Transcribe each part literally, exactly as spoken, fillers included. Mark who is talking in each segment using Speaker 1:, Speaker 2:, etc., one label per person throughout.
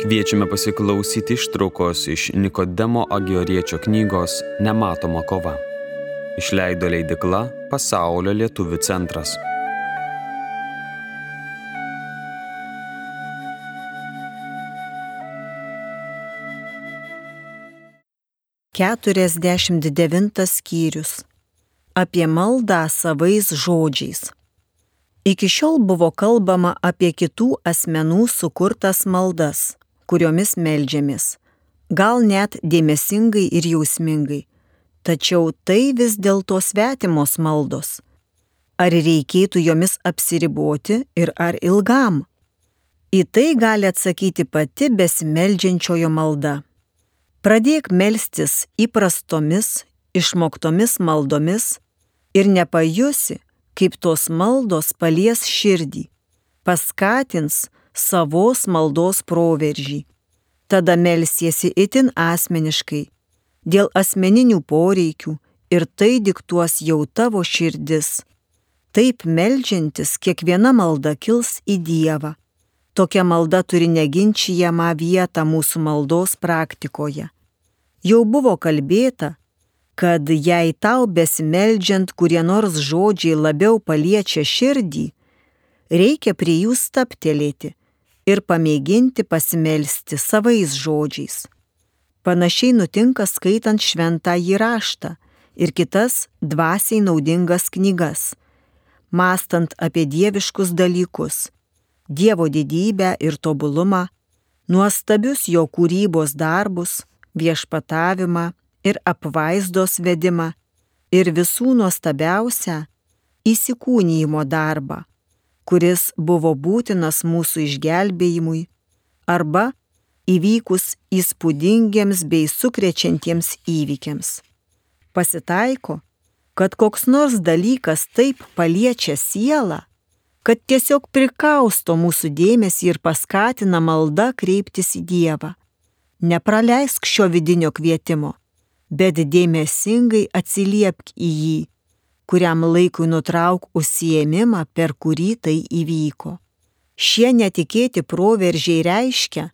Speaker 1: Kviečiame pasiklausyti ištraukos iš Nikodemo Agioriečio knygos Nematoma kova. Išleido leidykla Pasaulio lietuvių centras.
Speaker 2: keturiasdešimt devintas skyrius. Apie maldą savais žodžiais. Iki šiol buvo kalbama apie kitų asmenų sukurtas maldas, kuriomis meldžiamės, gal net dėmesingai ir jausmingai, tačiau tai vis dėlto svetimos maldos. Ar reikėtų jomis apsiriboti ir ar ilgam? Į tai gali atsakyti pati besimeldžiančiojo malda. Pradėk melstis įprastomis, išmoktomis maldomis ir nepajusi, kaip tos maldos palies širdį, paskatins savos maldos proveržį. Tada melsiesi itin asmeniškai, dėl asmeninių poreikių ir tai diktuos jau tavo širdis. Taip meldžiantis kiekviena malda kils į Dievą. Tokia malda turi neginčijamą vietą mūsų maldos praktikoje. Jau buvo kalbėta, kad jei tau besimeldžiant kurie nors žodžiai labiau paliečia širdį, reikia prie jų stabtelėti ir pamėginti pasimelsti savais žodžiais. Panašiai nutinka skaitant šventąjį raštą ir kitas dvasiai naudingas knygas, mąstant apie dieviškus dalykus, Dievo didybę ir tobulumą, nuostabius jo kūrybos darbus, viešpatavimą ir apvaizdos vedimą ir visų nuostabiausią įsikūnijimo darbą, kuris buvo būtinas mūsų išgelbėjimui arba įvykus įspūdingiems bei sukrečiantiems įvykiams. Pasitaiko, kad koks nors dalykas taip paliečia sielą, kad tiesiog prikausto mūsų dėmesį ir paskatina malda kreiptis į Dievą. Nepraleisk šio vidinio kvietimo, bet dėmesingai atsiliepk į jį, kuriam laikui nutrauk užsiėmimą, per kurį tai įvyko. Šie netikėti proveržiai reiškia,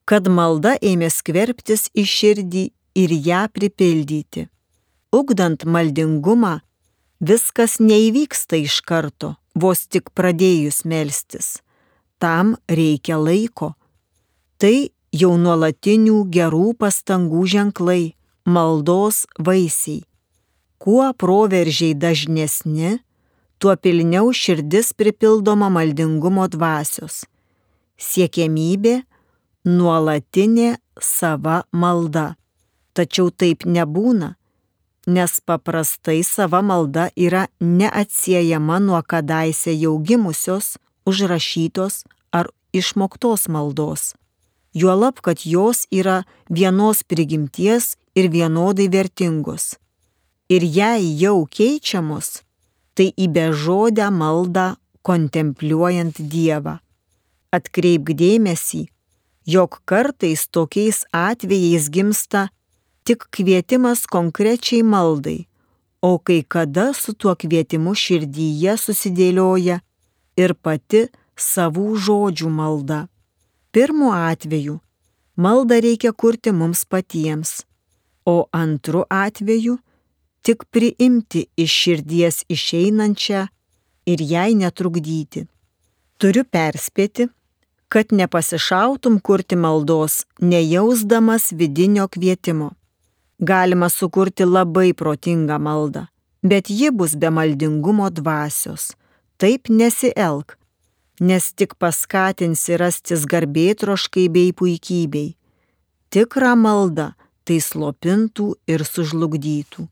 Speaker 2: kad malda ėmė skverbtis į širdį ir ją pripildyti. Ugdant maldingumą, viskas neįvyksta iš karto, vos tik pradėjus melstis. Tam reikia laiko. Tai jau nuolatinių gerų pastangų ženklai, maldos vaisiai. Kuo proveržiai dažnesni, tuo pilniau širdis pripildoma maldingumo dvasios. Siekiamybė – nuolatinė sava malda. Tačiau taip nebūna, nes paprastai sava malda yra neatsiejama nuo kadaise jau gimusios, užrašytos ar išmoktos maldos. Juolab, kad jos yra vienos prigimties ir vienodai vertingos. Ir jei jau keičiamos, tai į bežodę maldą kontempliuojant Dievą. Atkreipk dėmesį, jog kartais tokiais atvejais gimsta tik kvietimas konkrečiai maldai, o kai kada su tuo kvietimu širdyje susidėlioja ir pati savų žodžių malda. Pirmu atveju maldą reikia kurti mums patiems, o antru atveju tik priimti iš širdies išeinančią ir jai netrukdyti. Turiu perspėti, kad nepasišautum kurti maldos, nejausdamas vidinio kvietimo. Galima sukurti labai protingą maldą, bet ji bus be maldingumo dvasios. Taip nesielk, nes tik paskatinsi rastis garbėtroškai bei puikybei. Tikra malda tai slopintų ir sužlugdytų.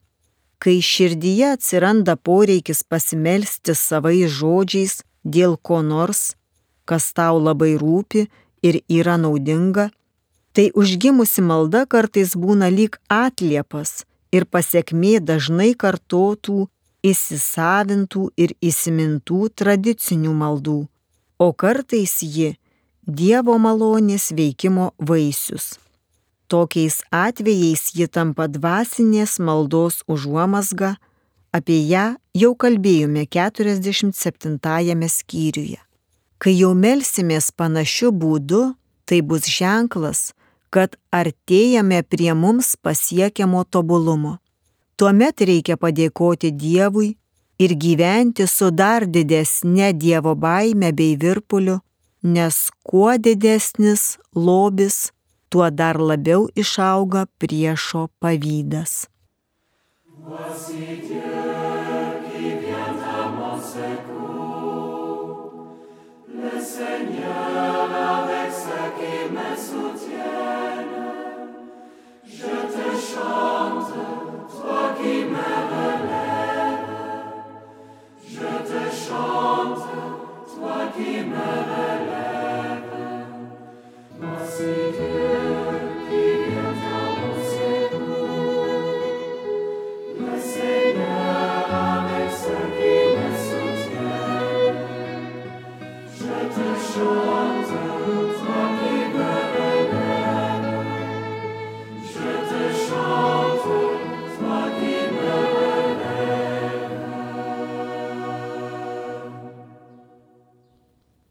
Speaker 2: Kai širdyje atsiranda poreikis pasimelsti savais žodžiais dėl ko nors, kas tau labai rūpi ir yra naudinga, tai užgimusi malda kartais būna lyg atliepas ir pasekmė dažnai kartotų, įsisavintų ir įsimintų tradicinių maldų, o kartais ji Dievo malonės veikimo vaisius. Tokiais atvejais ji tampa dvasinės maldos užuomazga, apie ją jau kalbėjome keturiasdešimt septintajame skyriuje. Kai jau melsimės panašiu būdu, Tai bus ženklas, kad artėjame prie mums pasiekiamo tobulumo. Tuomet reikia padėkoti Dievui ir gyventi su dar didesne Dievo baime bei virpuliu, nes kuo didesnis lobis, tuo dar labiau išauga priešo pavydas.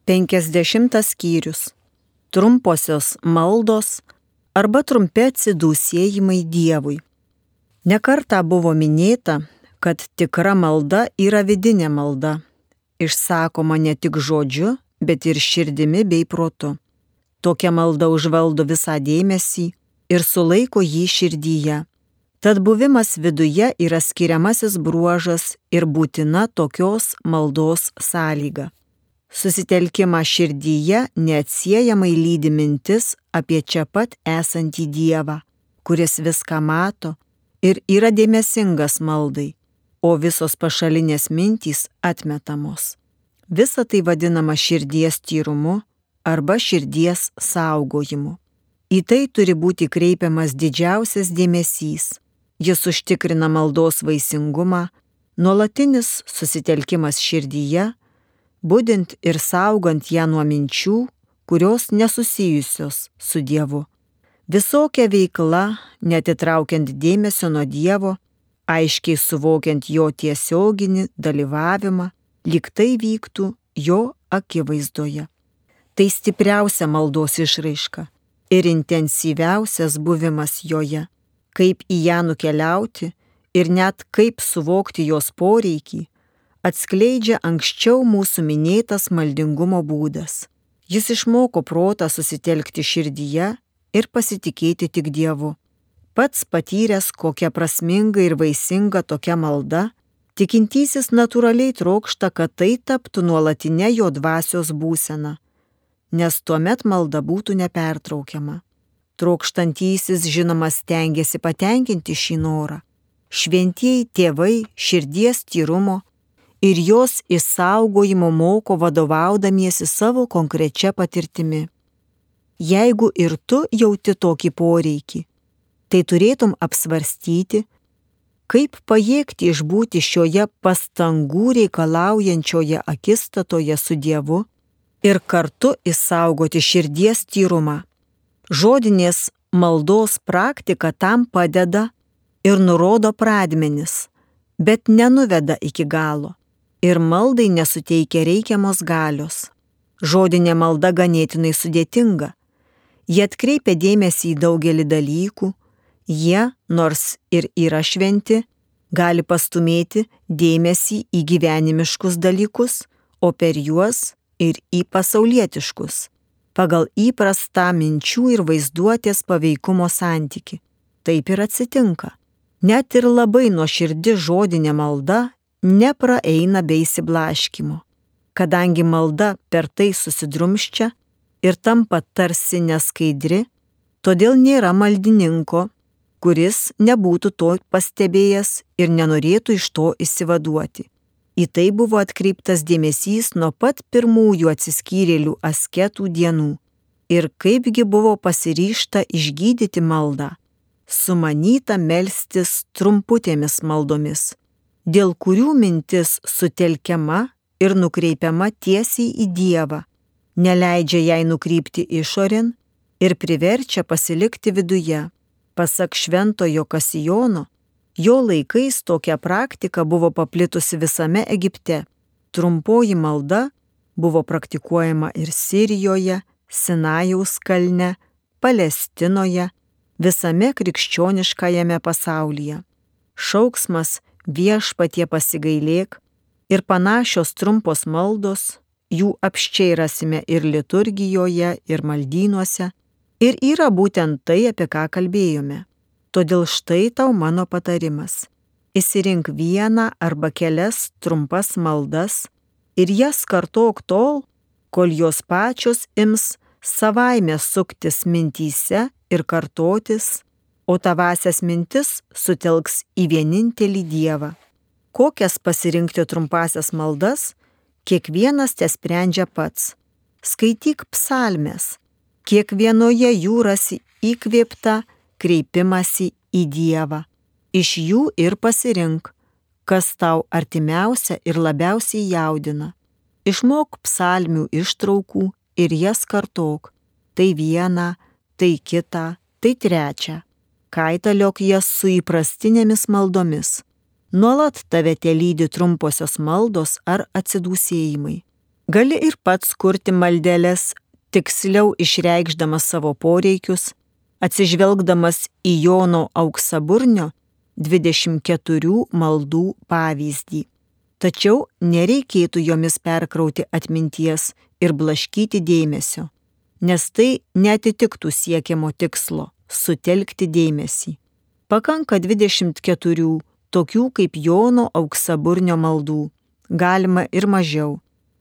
Speaker 2: Penkiasdešimtas skyrius. Trumposios maldos arba trumpi atsidūsėjimai Dievui. Nekartą buvo minėta, kad tikra malda yra vidinė malda, išsakoma ne tik žodžiu, bet ir širdimi bei protu. Tokia malda užvaldo visą dėmesį ir sulaiko jį širdyje. Tad buvimas viduje yra skiriamasis bruožas ir būtina tokios maldos sąlyga. Susitelkimą širdyje neatsiejamai lydi mintis apie čia pat esantį Dievą, kuris viską mato ir yra dėmesingas maldai, o visos pašalinės mintys atmetamos. Visa tai vadinama širdies tyrumu arba širdies saugojimu. Į tai turi būti kreipiamas didžiausias dėmesys. Jis užtikrina maldos vaisingumą, nuolatinis susitelkimas širdyje, budint ir saugant ją nuo minčių, kurios nesusijusios su Dievu. Visokia veikla, netitraukiant dėmesio nuo Dievo, aiškiai suvokiant jo tiesioginį dalyvavimą, lyg tai vyktų jo akivaizdoje. Tai stipriausia maldos išraiška ir intensyviausias buvimas joje. Kaip į ją nukeliauti ir net kaip suvokti jos poreikį, atskleidžia anksčiau mūsų minėtas maldingumo būdas. Jis išmoko protą susitelkti širdyje ir pasitikėti tik Dievu. Pats patyręs, kokia prasminga ir vaisinga tokia malda, tikintysis natūraliai trokšta, kad tai taptų nuolatinė jo dvasios būsena, nes tuomet malda būtų nepertraukiama. Trokštantysis žinoma stengiasi patenkinti šį norą. Šventieji tėvai širdies tyrumo ir jos išsaugojimo moko vadovaudamiesi savo konkrečia patirtimi. Jeigu ir tu jauti tokį poreikį, tai turėtum apsvarstyti, kaip pajėgti išbūti šioje pastangų reikalaujančioje akistatoje su Dievu ir kartu išsaugoti širdies tyrumą. Žodinės maldos praktika tam padeda ir nurodo pradmenis, bet nenuveda iki galo. Ir maldai nesuteikia reikiamos galios. Žodinė malda ganėtinai sudėtinga. Jie atkreipia dėmesį į daugelį dalykų, jie, nors ir yra šventi, gali pastumėti dėmesį į gyvenimiškus dalykus, o per juos ir į pasaulietiškus, pagal įprastą minčių ir vaizduotės paveikumo santyki. Taip ir atsitinka. Net ir labai nuoširdi žodinė malda nepraeina be įsiblaškymo, kadangi malda per tai susidrumščia ir tampa tarsi neskaidri, todėl nėra maldininko, kuris nebūtų to pastebėjęs ir nenorėtų iš to išsivaduoti. Į tai buvo atkreiptas dėmesys nuo pat pirmųjų atsiskyrėlių asketų dienų ir kaipgi buvo pasiryžta išgydyti maldą, sumanyta melstis trumputėmis maldomis, dėl kurių mintis sutelkiama ir nukreipiama tiesiai į Dievą, neleidžia jai nukrypti išorėn ir priverčia pasilikti viduje. Pasak šventojo Kasijono, jo laikais tokia praktika buvo paplitusi visame Egipte. Trumpoji malda buvo praktikuojama ir Sirijoje, Sinajaus kalne, Palestinoje, visame krikščioniškajame pasaulyje. Šauksmas Viešpatie pasigailėk ir panašios trumpos maldos, jų apsčiai rasime ir liturgijoje, ir maldynuose, ir yra būtent tai, apie ką kalbėjome. Todėl štai tau mano patarimas. Išsirink vieną arba kelias trumpas maldas ir jas kartok tol, kol jos pačios ims savaime suktis mintyse ir kartotis, o tavasias mintis sutelks į vienintelį Dievą. Kokias pasirinkti trumpasias maldas, kiekvienas te sprendžia pats. Skaityk psalmes, kiekvienoje jų rasi įkvėptą kreipimąsi į Dievą. Iš jų ir pasirink, kas tau artimiausia ir labiausiai jaudina. Išmok psalmių ištraukų ir jas kartok. Tai vieną, tai kitą, tai trečią. Kaitaliok jas su įprastinėmis maldomis. Nuolat tave telydi trumposios maldos ar atsidūsėjimai. Gali ir pats kurti maldeles, tiksliau išreikšdamas savo poreikius, atsižvelgdamas į Jono Auksaburnio dvidešimt keturių maldų pavyzdį. Tačiau nereikėtų jomis perkrauti atminties ir blaškyti dėmesio, nes tai neatitiktų siekiamo tikslo – sutelkti dėmesį. Pakanka dvidešimt keturių tokių kaip Jono Auksaburnio maldų, galima ir mažiau.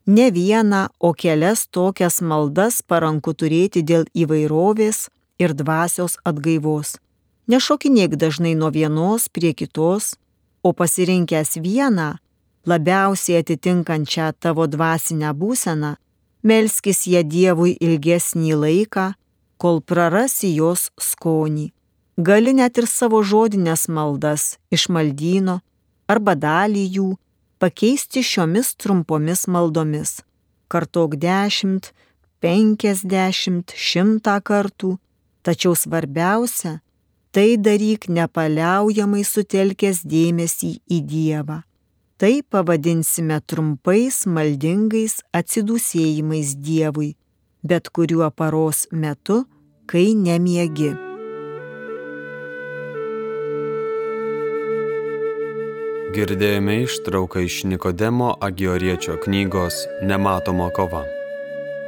Speaker 2: Ne vieną, o kelias tokias maldas paranku turėti dėl įvairovės ir dvasios atgaivos. Nešokinėk dažnai nuo vienos prie kitos, o pasirinkęs vieną, labiausiai atitinkančią tavo dvasinę būseną, melskis ją Dievui ilgesnį laiką, kol prarasi jos skonį. Gali net ir savo žodinės maldas iš maldyno arba dalį jų pakeisti šiomis trumpomis maldomis. Kartok dešimt, penkiasdešimt, šimtą kartų, tačiau svarbiausia, tai daryk nepaliaujamai sutelkęs dėmesį į Dievą. Tai pavadinsime trumpais maldingais atsidūsėjimais Dievui, bet kuriuo paros metu, kai nemiegi.
Speaker 1: Girdėjome ištrauką iš Nikodemo Agioriečio knygos Nematoma kova.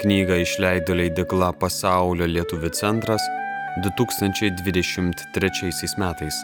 Speaker 1: Knygą išleido leidykla Pasaulio lietuvių centras du tūkstančiai dvidešimt trečiaisiais metais.